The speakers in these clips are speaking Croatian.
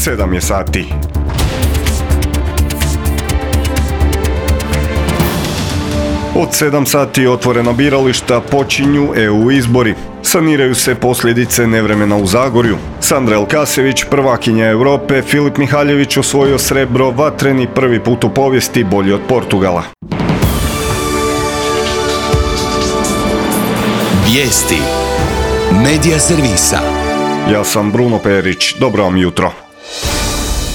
7 je sati. Od 7 sati otvorena birališta, počinju EU izbori. Saniraju se posljedice nevremena u Zagorju. Sandra Elkasević, prvakinja Europe, Filip Mihaljević osvojio srebro, vatreni prvi put u povijesti, bolji od Portugala. Vijesti Medija servisa. Ja sam Bruno Perić, dobro vam jutro.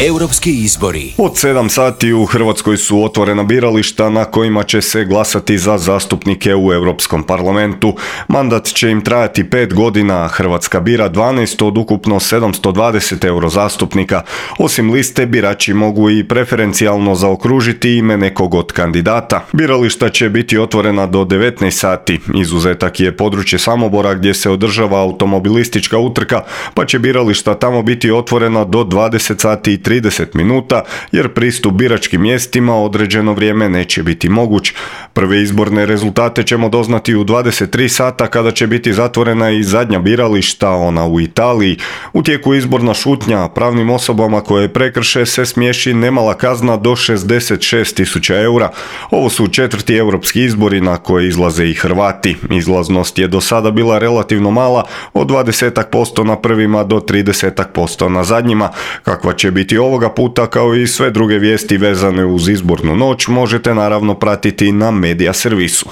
Europski izbori. Od 7 sati u Hrvatskoj su otvorena birališta na kojima će se glasati za zastupnike u Europskom parlamentu. Mandat će im trajati 5 godina, a Hrvatska bira 12 od ukupno 720 eurozastupnika. Osim liste, birači mogu i preferencijalno zaokružiti ime nekog od kandidata. Birališta će biti otvorena do 19 sati. Izuzetak je područje Samobora gdje se održava automobilistička utrka, pa će birališta tamo biti otvorena do 20 sati i 30 minuta, jer pristup biračkim mjestima određeno vrijeme neće biti moguć. Prve izborne rezultate ćemo doznati u 23 sata kada će biti zatvorena i zadnja birališta, ona u Italiji. U tijeku izborna šutnja, pravnim osobama koje prekrše se smiješi nemala kazna do 66.000 eura. Ovo su 4. europski izbori na koje izlaze i Hrvati. Izlaznost je do sada bila relativno mala, od 20% na prvima do 30% na zadnjima. Kakva će biti ovoga puta, kao i sve druge vijesti vezane uz izbornu noć, možete naravno pratiti na Medija servisu.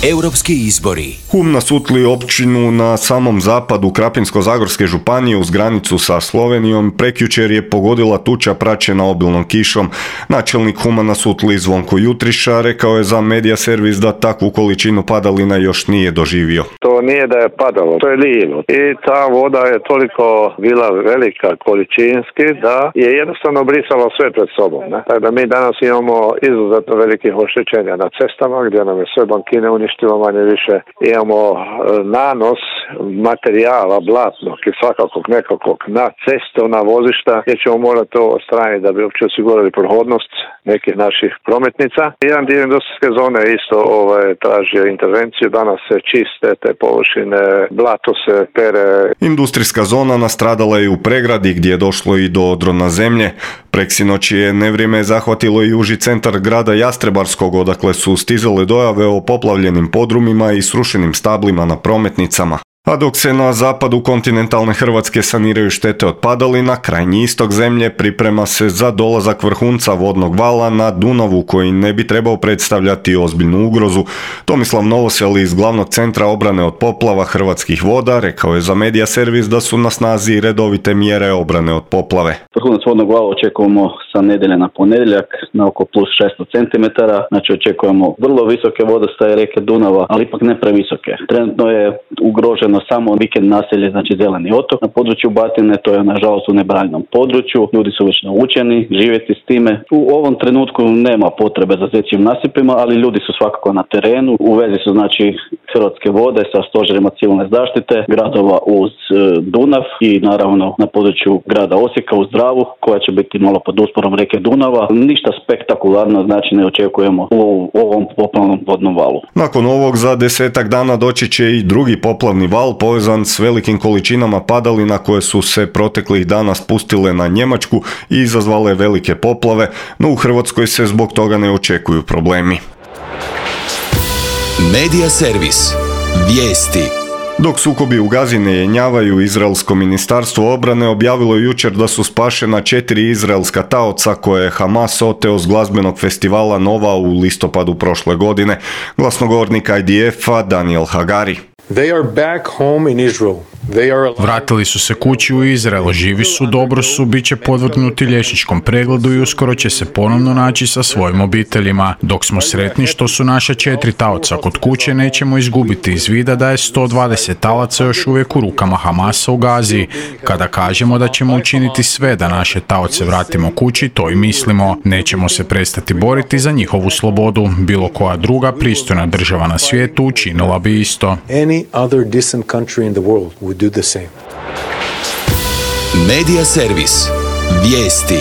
Europski izbori. Hum na Sutli, općinu na samom zapadu Krapinsko-zagorske županije uz granicu sa Slovenijom, prekjučer je pogodila tuča praćena obilnom kišom. Načelnik Huma na Sutli Zvonko Jutriša rekao je za Medija servis da takvu količinu padalina još nije doživio. To nije da je padalo, to je lilo. I ta voda je toliko bila velika količinski da je jednostavno brisala sve pred sobom. Tako da mi danas imamo izuzetno velikih oštećenja na cestama gdje nam je sve bankine uništilo manje više. Imamo nanos materijala blatnog i svakakvog nekakvog na cestovna vozišta gdje ćemo morati to odstraniti da bi uopće osigurali prohodnost nekih naših prometnica. Jedan dio industrijske zone isto traži intervenciju, danas se čiste te površine, blato se pere. Industrijska zona nastradala je u Pregradi gdje je došlo i do odrona zemlje. Preksinoć je nevrijeme zahvatilo i uži centar grada Jastrebarskog, odakle su stizale dojave o poplavljenim podrumima i srušenim stablima na prometnicama. A dok se na zapadu kontinentalne Hrvatske saniraju štete od padalina, krajnji istok zemlje priprema se za dolazak vrhunca vodnog vala na Dunavu koji ne bi trebao predstavljati ozbiljnu ugrozu. Tomislav Novosel iz glavnog centra obrane od poplava Hrvatskih voda rekao je za Medija servis da su na snazi redovite mjere obrane od poplave. Vrhunac vodnog vala očekujemo sa nedjelje na ponedjeljak na oko plus 600 cm, znači očekujemo vrlo visoke vodostaje rijeke Dunava, ali ipak ne previsoke. Trenutno je ugroženo samo vikend naselje, znači Zeleni otok. Na području Batine to je nažalost u nebranjenom području. Ljudi su već naučeni živjeti s time. U ovom trenutku nema potrebe za zečjim nasipima, ali ljudi su svakako na terenu. U vezi su znači Hrvatske vode sa stožerima civilne zaštite, gradova uz Dunav i naravno na području grada Osijeka uz Dravu, koja će biti malo pod usporom rijeke Dunava. Ništa spektakularno znači ne očekujemo u ovom poplavnom vodnom valu. Nakon ovog za 10 dana doći će i drugi poplavni val povezan s velikim količinama padalina koje su se proteklih dana spustile na Njemačku i izazvale velike poplave, no u Hrvatskoj se zbog toga ne očekuju problemi. Medija servis. Vijesti. Dok sukobi u Gazi ne jenjavaju, Izraelsko ministarstvo obrane objavilo jučer da su spašena 4 izraelska taoca koje je Hamas oteo s glazbenog festivala Nova u listopadu prošle godine. Glasnogovornik IDF-a Daniel Hagari. They are back home in Israel. Vratili su se kući u Izrael, živi su, dobro su, bit će podvrgnuti liječničkom pregledu i uskoro će se ponovno naći sa svojim obiteljima. Dok smo sretni što su naša 4 taoca kod kuće, nećemo izgubiti iz vida da je 120 talaca još uvijek u rukama Hamasa u Gazi. Kada kažemo da ćemo učiniti sve da naše taoce vratimo kući, to i mislimo. Nećemo se prestati boriti za njihovu slobodu. Bilo koja druga pristojna država na svijetu učinila bi isto. Any other decent country in the world would do the same. Medija servis. Vijesti.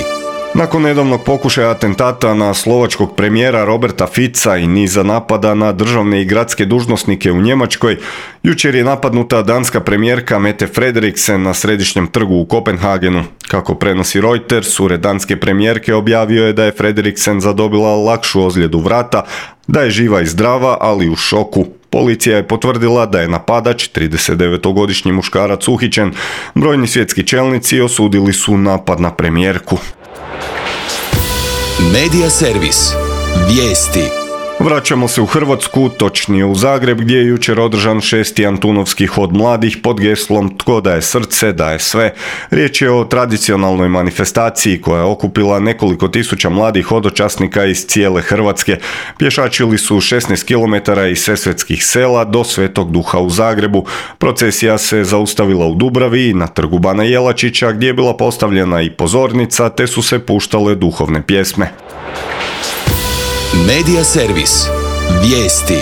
Nakon nedavnog pokušaja atentata na slovačkog premijera Roberta Fica i niza napada na državne i gradske dužnosnike u Njemačkoj, jučer je napadnuta danska premijerka Mette Frederiksen na središnjem trgu u Kopenhagenu. Kako prenosi Reuters, ured danske premijerke objavio je da je Frederiksen zadobila lakšu ozljedu vrata, da je živa i zdrava, ali u šoku. Policija je potvrdila da je napadač, 39-godišnji muškarac, uhićen. Brojni svjetski čelnici osudili su napad na premijerku. Medija servis. Vijesti. Vraćamo se u Hrvatsku, točnije u Zagreb, gdje je jučer održan 6. Antunovski hod mladih pod geslom Tko daje srce, daje sve. Riječ je o tradicionalnoj manifestaciji koja je okupila nekoliko tisuća mladih hodočasnika iz cijele Hrvatske. Pješačili su 16 km iz sesvetskih sela do Svetog Duha u Zagrebu. Procesija se zaustavila u Dubravi i na trgu Bana Jelačića, gdje je bila postavljena i pozornica, te su se puštale duhovne pjesme. Medija servis. Vijesti.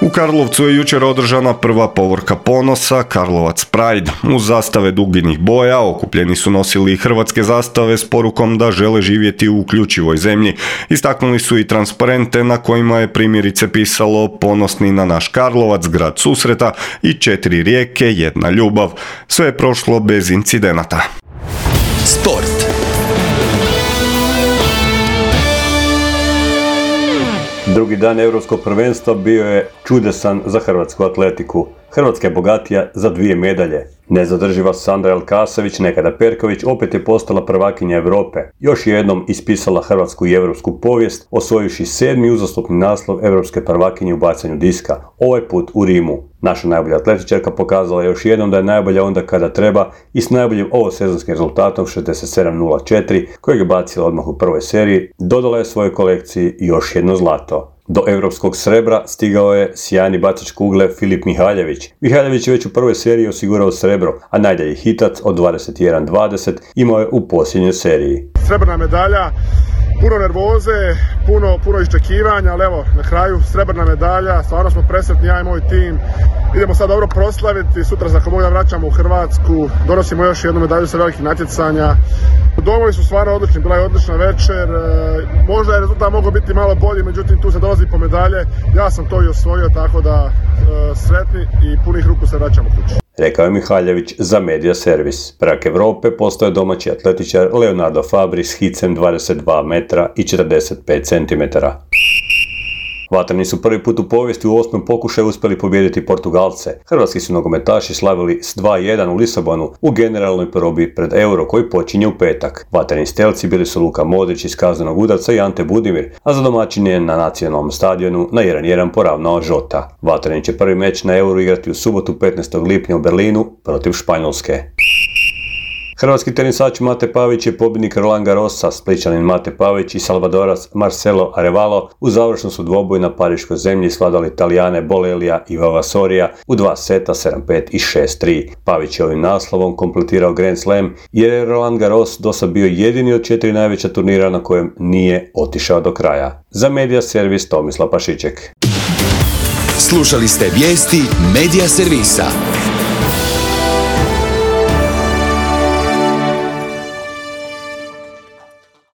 U Karlovcu je jučer održana prva povorka ponosa, Karlovac Pride. Uz zastave duginih boja okupljeni su nosili hrvatske zastave s porukom da žele živjeti u uključivoj zemlji. Istaknuli su i transparente na kojima je primjerice pisalo Ponosni na naš Karlovac, grad susreta i 4 rijeke, jedna ljubav. Sve je prošlo bez incidenata. Sport. Drugi dan Europskog prvenstva bio je čudesan za hrvatsku atletiku. Hrvatska je bogatija za 2 medalje. Nezadrživa Sandra Elkasović, nekada Perković, opet je postala prvakinja Europe. Još jednom ispisala hrvatsku i europsku povijest, osvojivši 7. uzastopni naslov europske prvakinje u bacanju diska. Ovaj put u Rimu. Naša najbolja atletičarka pokazala je još jednom da je najbolja onda kada treba i s najboljim ovosezonskim rezultatom 67:04, kojeg je bacila odmah u prvoj seriji, dodala je svojoj kolekciji još jedno zlato. Do europskog srebra stigao je sjajni bacač kugle Filip Mihaljević. Mihaljević je već u prvoj seriji osigurao srebro, a najdalji hitac od 21:20 imao je u posljednjoj seriji. Srebrna medalja, puno nervoze, puno iščekivanja, ali evo, na kraju srebrna medalja, stvarno smo presretni, ja i moj tim. Idemo sad dobro proslaviti, sutra za koga vraćamo u Hrvatsku, donosimo još jednu medalju sa velikih natjecanja. Domovi su stvarno odlični, bila je odlična večer, možda je rezultat mogao biti malo bolji, međutim tu se dolazi po medalje, ja sam to i osvojio, tako da sretni i punih ruku se vraćamo kući. Rekao je Mihaljević za Medija servis. Prvak Europe postao je domaći atletičar Leonardo Fabri s hicem 22 metra i 45 centimetara. Vatreni su prvi put u povijesti u 8. pokušaju uspjeli pobijediti Portugalce. Hrvatski su nogometaši slavili s 2:1 u Lisabonu u generalnoj probi pred Euro koji počinje u petak. Vatreni stelci bili su Luka Modrić iz kaznenog udarca i Ante Budimir, a za domaćin je na nacionalnom stadionu na 1:1 poravnao Žota. Vatreni će prvi meč na Euro igrati u subotu 15. lipnja u Berlinu protiv Španjolske. Hrvatski tenisač Mate Pavić je pobjednik Roland Garrosa, Splićanin Mate Pavić i Salvadorac Marcelo Arevalo u završnom su dvoboju na pariškoj zemlji svladali Talijane Bolelija i Vavasorija u 2 seta 7-5 i 6-3. Pavić je ovim naslovom kompletirao Grand Slam jer je Roland Garros dosad bio jedini od 4 najveća turnira na kojem nije otišao do kraja. Za Medija servis Tomislav Pašiček. Slušali ste vijesti Medija servisa.